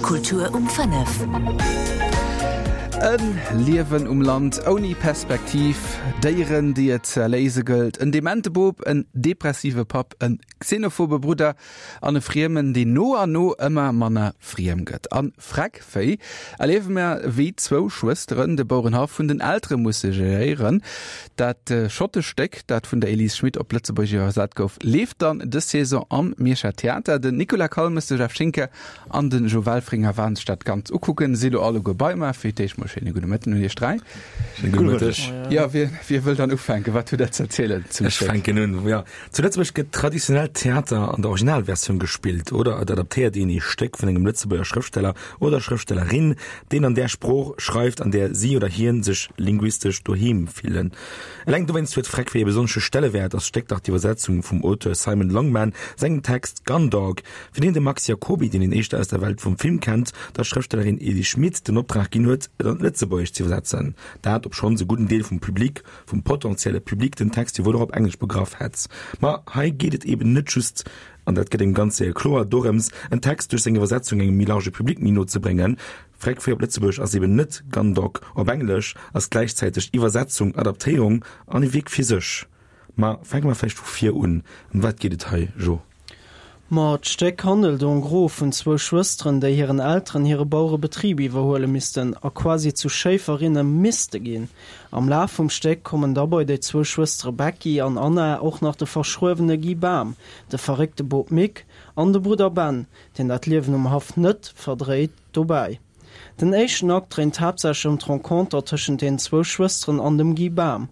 Kultur um 5. E Liewen um Land ouni Perspektiv, Déieren, déi et ze erléise gëllt, en demente Bop, en depressive Papp, en xenophobe Brudder an e Friemen, deen no an no ëmmer manner friem gëtt. A Freckvéi erliewe mer, wéi zwou Schwësteren de Bourenhaff vun den Eltere musse geréieren. Dat schottescht Stéck, dat vun der Elise Schmit op Lëtzebuergesch iwwersat gouf, leeft dann dës Saison am Mierscher Theater. Den Nicolas Calmes, de Jeff Schinker an de Jo Welfringer waren sech dat Ganzt ukucken. Si lo alleguer bei mer. Fir d'éischt mol schéine gudde Mëtten un iech 3. Schéine gudde Mëtteg. Jo, wie, wie wëll dann ufänken? Wat hutt der ze erzielen zum Ech Stéck? fänken un, jo. Zu Lëtzebuerg gëtt traditionell Theater an der Originalversioun gespillt oder et adaptéiert een ee Stéck vun engem Lëtzebuerger Schrëftsteller oder Schrëftstellerin, deen an där Sprooch schreift, an där si oder hien sech linguistesch doheem fillen. Eleng dowéinst huet Freckfee e besonnesche Stellewäert, ass d'Stéck dach d'Iwwersetzung vum Auteur Simon Longman sengem Text Gundog, fir deen de Max Jacoby, deen een éischter aus der Welt vum Film kennt, der Schrëftstellerin Elise Schmit den Optrag ginn huet, et an d'Lëtzebuergescht z'iwwersetzen. Dat, obschonns e gudden Deel vum Public, vum potentielle Public den Text jo wuel och op Englesch begraff hätt. Ma hei geet et eben net just, an dat gëtt engem ganz séier kloer, dorëms, en Text duerch seng Iwwersetzung engem méi large Public méi no ze bréngen. Freck fir op Lëtzebuergesch ass eben net Gundog op Englesch, ass gläichzäiteg Iwwersetzung, Adaptéierung an e Wierk fir sech. Ma fänke mer vläicht vu vir un. Ëm wat geet et hei, Jo? Ma d'Stéck handelt en gros vun zwou Schwësteren, déi hiren Elteren hire Bauerebetrib iwwerhuele missten a quasi zu Schéiferinne misste ginn. Am Laf vum Stéck kommen da bei déi zwou Schwëstere Becky an Anna och nach de verschruewene Guy Bam, de verréckte Bop Mick an de Brudder Ben, deen dat Liewen um Haff net verdréit, dobäi. Den éischten Akt dréint haaptsächlech ëm d'Renconter tëschent deenen zwou Schwësteren an dem Guy Bam.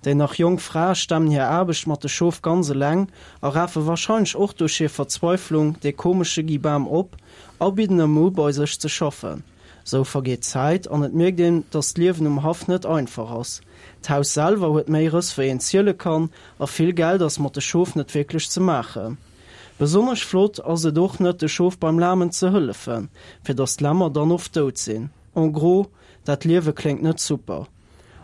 Déi nach jonk Frae stemmen hir Aarbecht mat de Schof ganz eleng a rafe warscheinlech och duerch hir Verzweiflung dee komesche Guy Bam op a bidden em u bei sech ze schaffen. Sou vergeet d'Zäit an et mierkt een, dass d'Liewen um Haff net einfach ass. D'Haus selwer huet méi Rëss wéi een ziele kann a vill Geld ass mat de Schof net wierklech ze maachen. Besonnesch flott ass et och net de Schof beim Lamen ze hëllefen, fir dass d'Lämmer dann oft dout sinn. En gros, dat Liewe kléngt net super.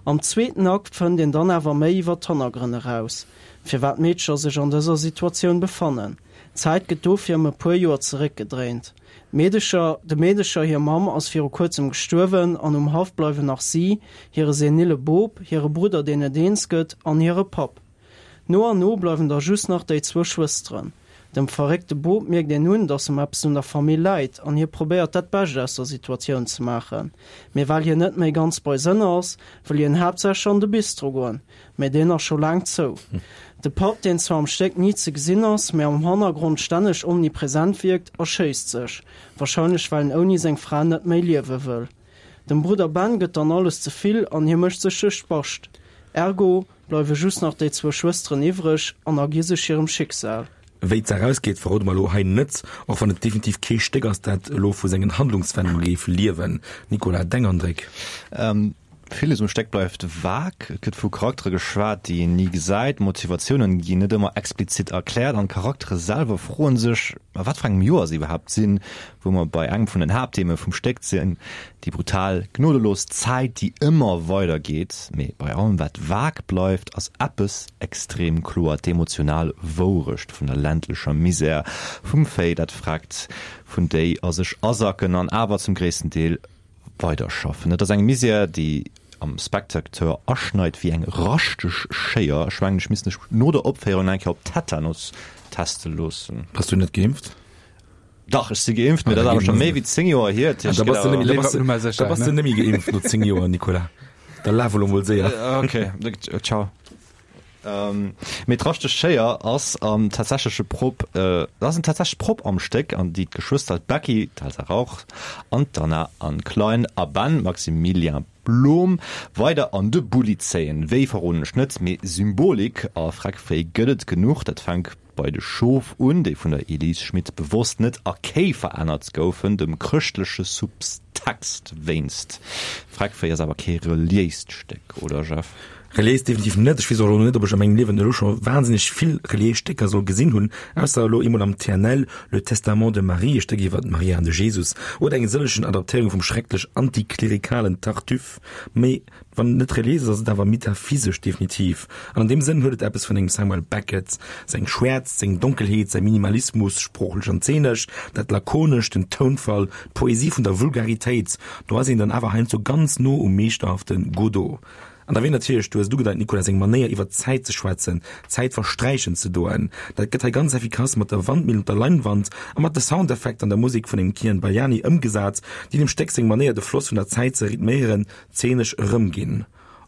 Am zweeten Akt fënnt een dann awer méi iwwer d'Hannergrënn eraus, firwat d'Meedcher sech an dëser Situatioun befannen. D'Zäit gëtt dofir ëm e puer Joer zeréckgedréint. D'Meedecher, de Meedecher hir Mamm ass viru kuerzem gestuerwen an um Haff bleiwen nach si, hire senile Bop, hire Brudder deen net eens gëtt an hire Papp. No an no bleiwen da just nach déi zwou Schwësteren. Dem verréckte Bop mierkt een un, dass em eppes un der Famill läit an hie probéiert dat Bescht aus der Situatioun ze maachen. Mee well hien net méi ganz bei Sënn ass, wëll hien haaptsächlech an de Bistro goen, mee deen ass scho laang zou. De Papp, deen zwar am Stéck ni ze gesinn ass, mee am Hannergrond stänneg omnipresent wierkt, erschéisst sech, warscheinlech well en ouni seng Fra net méi liewe wëll. Dem Brudder Ben gëtt dann alles ze vill an hie mécht sech duerch d'Bascht. Ergo, Bleiwe just nach déi zwou Schwësteren iwwreg an ergi sech hirem Schicksal. Wéi d'Saach ausgeet, verrode mer elo hei net, och wann et definitiv kee Stéck ass, dat elo vu sengen Handlungswendunge géif liewen. Nicolas, deng Andréck? Villes um Stéck bleift vag. Et gëtt vu Charaktere geschwat, déi een ni gesäit, Motivatiounen ginn net ëmmer explizit erkläert an d'Charaktere selwer froen sech, a wat fir engem Joer se iwwerhaapt sinn, wou mer bei engem vun den Haapttheme vum Stéck sinn, déi brutal, gnodelos Zäit, déi ëmmer weider geet. Mee bei allem wat vag bleift, ass eppes extrem kloer, d'emotional Wourecht vun der ländlecher Misär, vum Véi, dat freckt, vun déi a sech asacken an awer zum gréissten Deel weiderschaffen. Et ass eng Misär, déi am Spectateur aschneit wéi eng raschteg Schéier. Ech mengen, ech misst mech no der Opféierung nach eng Kéier op Tetanus teste loossen. Bass du net geimpft? Dach, ech si geimpft, mee dat ass awer scho méi wéi 10 Joer hier. Dat heescht, da bass du da bass du net méi geimpft no 10 Joer, Nicolas. Da laf elo mol séier. Okay, ciao. Mee d'raschteg Schéier ass am tatsächleche Prop, ass en tatsächleche Prop am Stéck, an déi d'Geschwëster d'Becky, d'Elsa Rauch, an d'Anna, Anne Klein, a Ben, Maximilien Blom, weider an de Bulli zéien. Wéi verroden ech net, mee Symbolik a Freckféi gëtt et genuch. Dat fänk bei de Schof un, déi vun der Elise Schmit bewosst net a Kéi verännert goufen, dem chrëschtleche Subtext wéinst. Freckféi ass awer kee reliéist Stéck, oder Jeff? Reliéis definitiv net. Ech weess och elo net, ob ech a mengem Liewen elo scho wahnsinneg vill reliéis Stécker soll gesinn hunn, ausser elo eemol am TNL Le Testament de Marie, e Stéck iwwer d'Maria an de Jesus, oder eng sëllegen Adaptéierung vum schrecklech antiklerikalen Tartuffe. Mee wann et net reliéis ass, ass et awer metaphysesch definitiv. An an deem Sënn huet et eppes vun engem Samuel Beckett, seng Schwäerzt, seng Donkelheet, säi Minimalismus, sproochlech an zeenesch, dat Lakonescht, den Tounfall, d'Poesie vun der Vulgaritéit. Do ass een dann awer heiansdo ganz no um meeschterhafte Godot. An da wier natierlech, du hues et ugedeit, Nicolas, seng Manéier iwwer d'Zäit ze schwätzen, d'Zäit versträichen ze doen. Dat gëtt hei ganz effikass mat der Wandmillen op der Leinwand a mat de Soundeffekter an der Musek vun engem Kian Baliani ëmgesat, déi dem Stéck seng Manéier de Floss vun der Zäit ze rhythméieren, zeenesch erëmginn.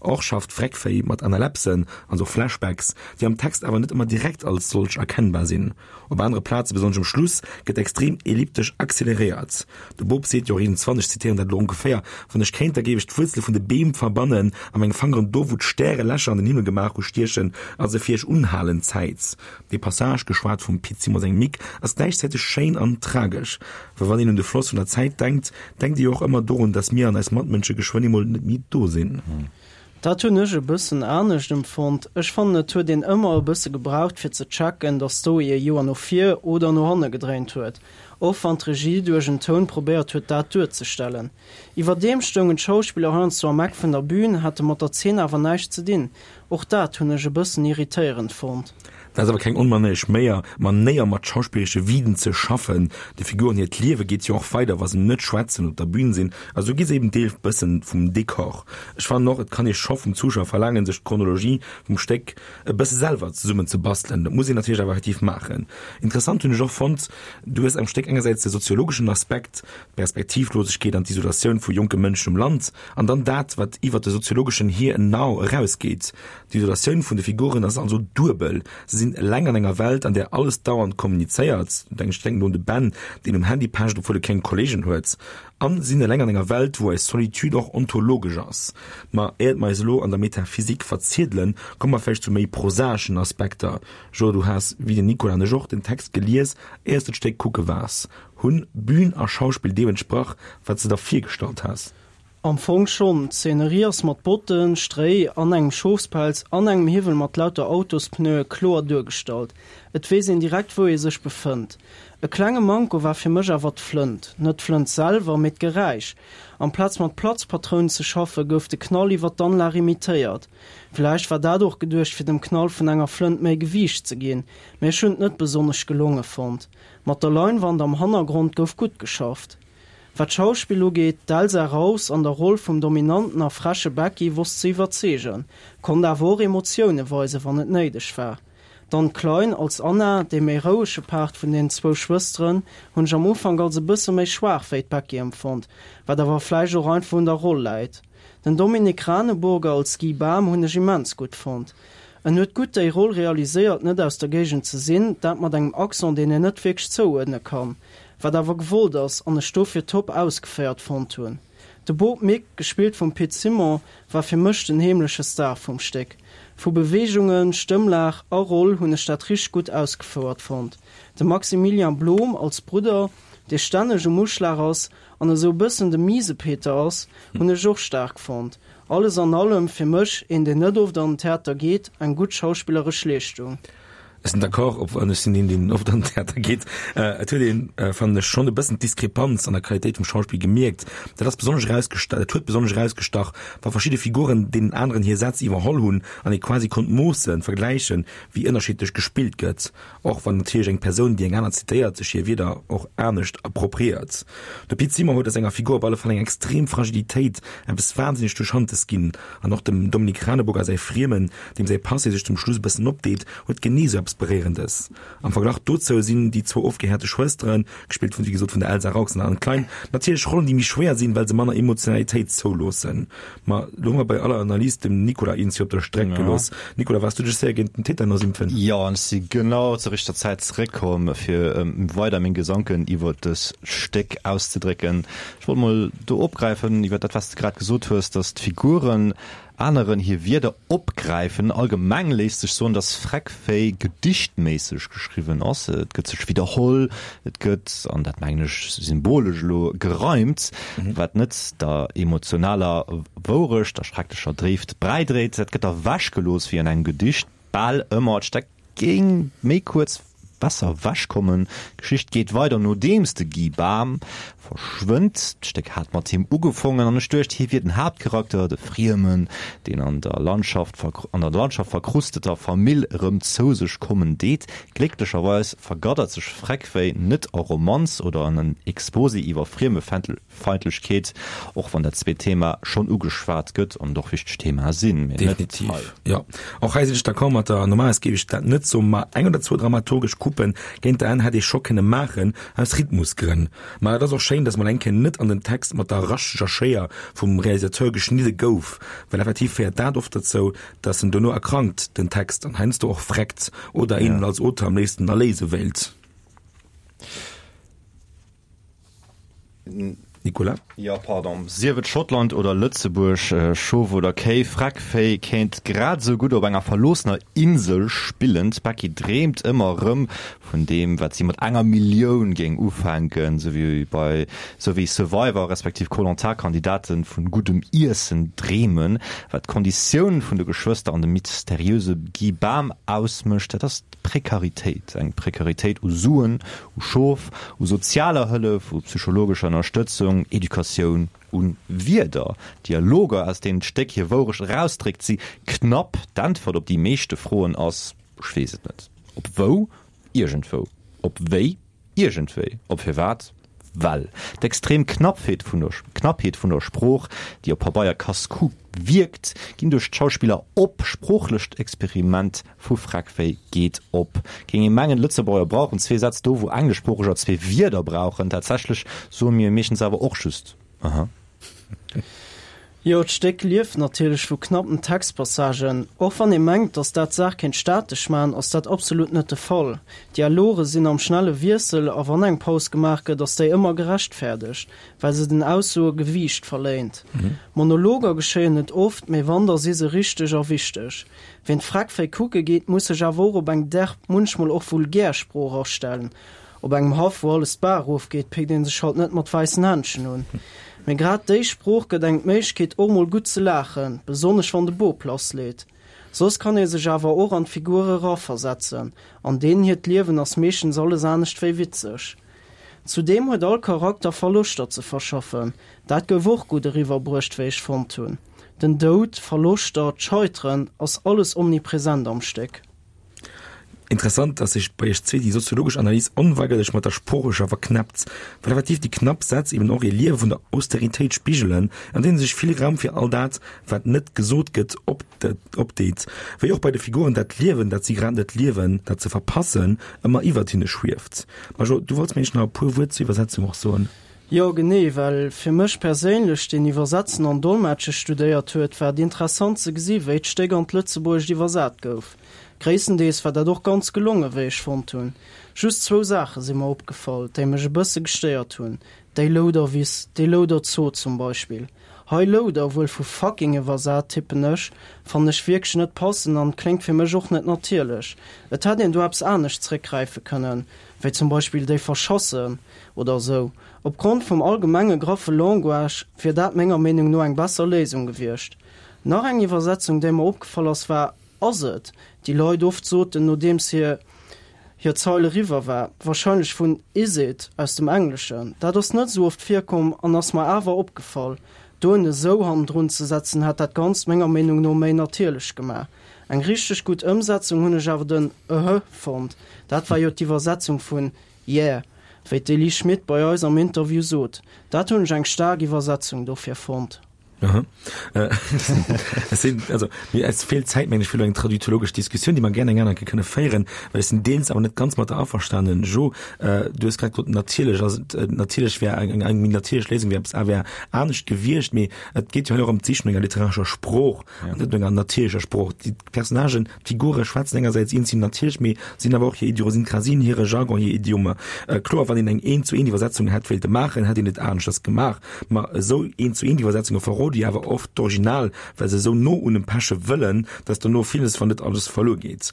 Och schafft Vreckvéi mat Analepsen, also Flashbacks, déi am Text awer net ëmmer direkt als solch erkennbar sinn. Op anere Plaze, besonnesch um Schluss, gëtt extrem elliptesch acceleréiert. De Bop seet jo och iergendzwann, ech zitéieren dat elo ongeféier, Wann ech kéint, da géif ech d'Wuerzele vun de Beem verbannen a meng Fangeren do, wou d'Stäre Lächer an den Himmel gemaach hu, stiechen a se fir iech unhalen. Zäit. Dee Passage, geschwat vum Pit Simon sengem Mick, ass gläichzäiteg schéin an tragesch. Well wann een un de Floss vun der Zäit denkt, denkt ee jo och ëmmer dorun, datt mir an eis Matmënsche geschwënn eemol net méi do sinn. Dat hunn ech e bëssen anescht empfonnt. Ech fannen et huet een ëmmer e bësse gebraucht fir ze checken, datt d'Story e Joer no vir oder no hanne gedréint huet, och wann d'Regie duerch en Toun probéiert huet dat duerzestellen. Iwwerdeem stoungen d'Schauspiller heiansdo am Eck vun der Bühn, hate mat der Zeen awer näischt ze dinn. Och dat hunn ech e bëssen irritéierend fonnt. Dat ass awer keng onmanéiereg Méier, Manéier mat schauspilleresche Viden ze schaffen. De Figuren hiert Liewe geet jo och weider, wa se net schwätzen, op der Bühn sinn, a sou gi se eben Deel bëssen vum Dekor. Ech fannen och, et kann ee scho vum Zuschauer verlaangen, sech d'Chronologie vum Stéck e bësse selwer zesummen ze bastelen. Dat muss een natierlech awer effektiv maachen. Interessant hunn ech och fonnt, du hues am Stéck engersäits de soziologeschen Aspekt, d'Perspektivlosegkeet an d'Isolatioun vu jonke Mënschen um Land, an dann dat, wat iwwer de soziologeschen Here and Now erausgeet. D'Isolatioun vun de Figuren ass also duebel, Se sinn eleng an enger Welt, an där alles dauernd kommunizéiert, ech denken do un de Ben, deen um Handy pecht, obwuel e keng Kolleegen huet, a sinn eleng an enger Welt, wou eis Solitude och ontologesch ass. Ma éiert mer eis elo an der Metaphysik verziedelen, komme mer vläicht zu méi prosaeschen Aspekter. Jo, du has, wéi den Nicolas an ech och, den Text gelies, éiers de d'Stéck kucke waars. Hunn Bühn a Schauspill deem entsprach, wat s de der virgestallt has? Am Fong schonn, d'Szenerie ass mat Botten, Stréi an engem Schofspelz an engem Hiwwel mat lauter Autospneue kloer duergestallt. Et weess een direkt wou ee sech befënnt. E klenge Manko war fir mech awer d'Flënt. Net d'Flënt selwer, mee d'Geräisch. Amplaz mat Platzpatrounen ze schaffe gouf de Knall iwwer d'Anlag imitéiert. Villäicht war dat och geduecht fir dem Knall vun enger Flënt méi Gewiicht ze ginn, mee ech hunn et net besonnesch gelonge fonnt. Mat der Leinwand am Hannergrond gouf gutt geschafft. Wat d'Schauspill ugeet, d'Elsa Raus an der Roll vum dominanten a freche Becky wosst ze iwwerzeegen, konnt awer och Emotioune weisen, wann et néideg war. D'Anne Klein als Anna, dee méi rouege Part vun den zwou Schwësteren, hunn ech am Ufank als e bësse méi schwaach wéi d'Becky empfonnt, wat awer vläicht och einfach un der Roll läit. Den Dominik Raneburger als Guy Bam hunn ech immens gutt fonnt. En huet gutt déi Roll realiséiert, net aus der Géigend ze sinn, dat mat engem Accent, deen een net wierklech zouuerdne kann. Wat awer gewollt ass an ech dofir top ausgeféiert fonnt hunn. De Bob Mick, gespillt vum Pit Simon, war fir mech den heemleche Star vum Stéck. Vu Beweegungen, Stëmmlag a Roll hunn ech dat richteg gutt ausgefouert fonnt. De Maximilian Blom als Brudder, dee stänneg um Uschlag ass an esou e bëssen de Miesepeter ass, hunn ech och staark fonnt. Alles an allem fir mech, een deen net oft an den Theater geet, eng gutt schauspilleresch Leeschtung. Ech sinn d'accord, ob an ech sinn een, deen oft an den Theater geet. Et huet een, fannen ech, schonn e bëssen d'Diskrepanz an der Qualitéit vum Schauspill gemierkt. Dat ass besonnesch erausgestach, dat huet besonnesch erausgestach, wa verschidde Figuren deenen aneren hir Sätz iwwerholl hunn an ee quasi konnt moossen, vergläichen, wéi ënnerschiddlech gespillt gëtt. Och wann natierlech eng Persoun, déi eng aner zitéiert, sech hir Wierder och anescht appropriéiert. De Pit Zimmer huet a senger Figur op alle Fall eng extrem Fragilitéit, eppes wahnsinneg Touchantes ginn. An och dem Dominique Raneburger säi Friemen, deem säi Passé sech zum Schluss e bëssen opdeet, huet genee sou eppes Beréierendes. Am Verglach dozou sinn déi zwou ofgehäerte Schwësteren, gespillt vun, wéi gesot, vun der Elsa Raux an der Anne Klein, natierlech Rollen, déi méi schwéier sinn, well se manner Emotionalitéit zouloossen. Ma lo hu mer bei aller Analys dem Nicolas eens fir op der Streck gelooss. Nicolas, waars du dech séier géint den Tetanus impfen? Jo, an ech si genau zur richteger Zäit zeréckkomm, fir weider meng Gesanken iwwer dës Stéck auszedrécken. Ech wollt mol do opgräifen iwwer dat, wat s de grad gesot hues, dass d'Figuren. aneren hir Wierder opgräifen. Allgemeng léisst sech soen, dass Freckféi gedichtméisseg geschriwwen ass. Et gëtt sech widderholl, et gëtt, an dat mengen ech symbolesch elo, gereimt, wat net der emotionaler Wourecht, der schrecklecher Dréift bräidréit. Dat gëtt ewechgelooss wéi an engem Gedicht bal ëmmer. Et steckt Géing méi kuerz besser wech kommen. D'Geschicht geet weider nodeems de Guy Bam verschwënnt. D'Stéck hat mat him ugefongen an ech duecht hie wier den Haaptcharakter, de Friemen, deen an der Landschaft an der Landschaft verkrusteter Famill erëm zou sech kommen deet. Glécklecherweis vergaddert sech Freckwéi net a Romanz oder an en Exposé iwwer Friemefeindlechkeet. Feindlechkeet, och wann dat zweet Thema schonn ugeschwat gëtt an et och wichteg Themae sinn, mee net Definitiv, hei. jo. Och hei sinn ech d'accord mat der. Normalerweis géif ech dat net soen, ma eng oder zwou dramaturgesch Coupen géint der Enn hätt ee scho kënne maachen, aus Rhythmusgrënn. Ma et ass och schéin, dass mol eng Kéier net an den Text mat der rascheger Schéier vum Realisateur geschnidde gouf, well effektiv féiert dat oft dozou, dass en dono erkrankt, den Text, an heiansdo och vreckt oder een en als Auteur am léifsten erléise wéilt. Nicolas? Jo, pardon. Sief et Schottland oder Lëtzebuerg, Schof oder Kéi, Freckvéi kéint grad esou gutt op enger verloossener Insel spillen. D'Becky dreemt ëmmer erëm vun deem, wat si mat enger Millioun géing ufänken, sou wéi bei sou wéi Survivor respektiv Koh-Lanta-Kandidate vun guddem Iessen dreemen. Wat d'Konditioun vun de Geschwëster an dem mysteriöse Guy Bam ausmécht, dat ass D'Prekaritéit, eng Prekaritéit u Suen, u Schof, u sozialer Hëllef, u psychologescher Ënnerstëtzung, Educatioun, u Wierder. D'Dialoger, aus deenen d'Stéck hir Wourecht erausdréckt, si knapp. D'Äntwert op déi meeschte Froen ass, Ech weess et net. Op wou? Iergendwou. Op wéi? Iergendwéi. Op firwat? Well. D'extrem Knappheet vun der Knappheet vun der Sprooch, déi op Pabeier casse-cou wierkt, ginn duerch d'Schauspiller op. Sproochlecht Experiment vu Freckwéi geet op. Géing ee mengen, Lëtzebuerger brauchen zwee Sätz do, wou Engleschsproocheger zwee Wierder brauchen. Tatsächlech soe mir meeschtens awer och just aha. Jo, d'Stéck lieft natierlech vu knappen Textpassagen. Och wann ee mengt, datt dat d'Saach kéint statesch maachen, ass dat absolut net de Fall. D'Dialoge sinn am schnelle Wiessel a wann eng Paus gemaach gëtt, ass déi ëmmer gerechtfäerdegt, well se den Aussoe Gewiicht verléint. Monologer geschéien net oft, mee wann, da si se richteg a wichteg. Ween d'Freckféi kucke geet, muss sech awer och op eng derb, munchmol och vulgär Sprooch astellen. Op engem Haff, wou alles d'Baach erofgeet, péckt ee sech halt net mat wäissen Händschen un. Mee grad déi Sprooch gëtt engem d'Méiglechkeet, och mol gutt ze laachen, besonnesch wann de Bop lassleet. Soss kann ee sech awer och an d'Figure eraversetzen, an deenen hiert Liewen ass meeschtens alles anescht wéi witzeg. Zudeem huet all Charakter Verloschter ze verschaffen, dat gouf och gutt eriwwerbruecht, wéi ech fonnt hunn. Den Doud, Verloschter, d'Scheiteren, ass alles omnipresent am Stéck. Interessant, dass sech bei iech zwee déi soziologesch Analys onweigerlech mat der sproochlecher verknäppt, well effektiv déi knapp Sätz eben och ee Liewe vun der Austeritéit spigelen, an deene sech vill Raum fir all dat, wat net gesot gëtt, opdeet, wéi och bei de Figuren dat Liewen, dat si grad net liewen, dat se verpassen, ëmmer iwwert hinne schwieft. Majo, du wollts mir nach e puer Wuert zur Iwwersetzung och soen. Jo, genee, well fir mech perséinlech, deen Iwwersetzen an Dolmetsche studéiert huet, war et interessant ze gesi wéi d'Stéck an d'Lëtzebuergescht iwwersat gouf. Gréisstendeels war dat och ganz gelongen, wéi ech fonnt hunn. Just zwou Saache si mer opgefall, déi mech e bësse gestéiert hunn, déi Louderwiss, dee Louderzoo zum Beispill. Hei Louder, wuel vu fucking iwwersat, tippen ech, fannen ech wierklech net passend an kléngt fir mech och net natierlech. Et hätt een do eppes anescht zréckgräife kënnen, wéi zum Beispill déi Verschassen oder esou. Opgrond vum allgemenge graffe Language wier dat menger Meenung no eng besser Léisung gewiescht. Nach eng Iwwersetzung, déi mer opgefall ass, war Ass et, déi Leit oft soten, nodeems hir hir Zeil eriwwer war, wahrscheinlech vun Is it aus dem Engleschen. Dat ass net esou oft virkomm an ass mer awer opgefall. Do en esou hannendrun ze setzen, hätt dat Ganzt menger Meenung no méi natierlech gemaach. Eng richteg gutt Ëmsetzung hunn ech awer den Öhö fonnt. Dat war jo d'Iwwersetzung vun Yeah, wéi d'Elie Schmit bei eis am Interview sot. Dat hunn ech eng staark Iwwersetzung dofir fonnt. Aha. Äh, es sinn, also, mir, es feelt Zäit, meng ech, fir elo eng traduktologesch Diskussioun, déi mer gären eng aner Kéier kënne féieren, well ech sinn deels awer net ganz mat der averstanen. Jo, äh, du hues grad gesot, natierlech ass et, äh, natierlech wär eng, eng, eng méi natierlech Léisung wär eppes a wär anescht gewiescht, mee et geet jo hei och ëm d'Sich no enger literarescher Sprooch an net no enger natierlecher Sprooch. Déi Personnagen, d'Figure schwätzen engersäits eens sinn natierlech, mee sinn awer och hir Idiosynkrasien, hire Jargon, hir Idiome. Äh, kloer, wann een eng Eent-zu-eent-Iwwersetzung hätt wéilte maachen, hätt een et aneschters gemaach. Ma esou Eent-zu-eent-Iwwersetzunge verroden. Parodie awer oft d'Original, well se esou no un dem peche wëllen, dass dono villes, wann net alles verluer geet.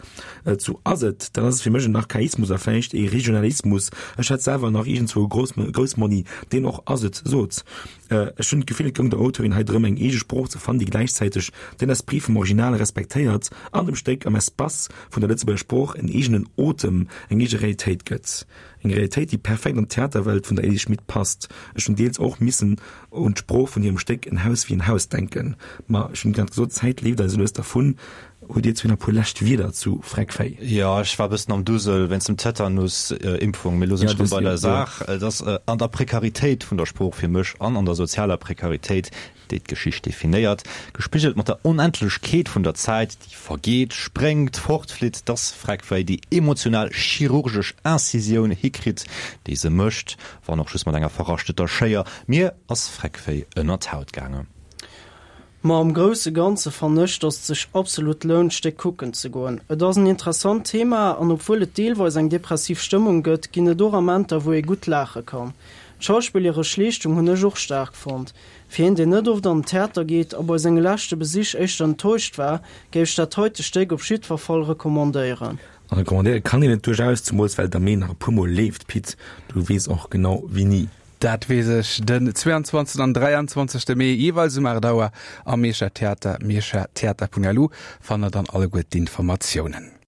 Zu ass et, dann ass et fir mech en Archaismus a vläicht ee Regionalismus. Ech hat selwer nach iergendzwou e Groussmonni, deen och ass et sot. Ech hunn d'Gefill, et goung der Auteurin hei drëm, eng eege Sprooch ze fannen, déi gläichzäiteg den Esprit vum Original respektéiert an dem Stéck am Espace vun der Lëtzebuerger Sprooch en eegenen Otem, eng eege Realitéit gëtt. Eng Realitéit, déi perfekt an d'Theaterwelt vun der Elise Schmit passt. Ech hunn deels och missen un d'Sprooch vun hirem Stéck En Haus wéi en Haus denken. Ma ech hunn grad gesot, d'Zäit leeft eis lues dervun. Hutt Dir zwee nach e puer lescht Wierder zu Freckféi? Jo, ech war e bëssen am Dusel wéinst dem Tetanus-Impfung, mee elo sinn ech rëm bei der Saach. Et ass an der Prekaritéit vun der Sprooch fir mech an an der sozialer Prekaritéit, déi d'Geschicht definéiert, gespigelt mat der Onendlechkeet vun der Zäit, déi vergeet, spréngt, fortflitt, dass Freckféi déi emotional chirurgesch Incisioun hikritt, déi se mécht, wann och just mat enger verraschteter Schéier. Mir ass Freckféi ënner d'Haut gaangen. Ma am grousse Ganze fannen ech, dass et sech absolut lount d'Stéck kucken ze goen. Et ass en interessant Thema an obwuel et deelweis eng depressiv Stëmmung gëtt, ginn et och Amenter wou ee gutt laache kann. D'schauspilleresch Leeschtung hunn ech och staark fonnt. Fir een deen net oft an den Theater geet a bei senge leschte Besich éischter enttäuscht war, géif ech dat heite Stéck op jiddwer Fall recommandéieren. An recommandéiere kann een et duerchaus, zemools well et am Mee nach e puer mol leeft. Pit, du weess och genau wéini. Dat weess ech, den 22 an 23 Mee jeeweils um 8 Auer am Mierscher Theater, mierschertheater.lu fannt der dann alleguer d'Informatiounen.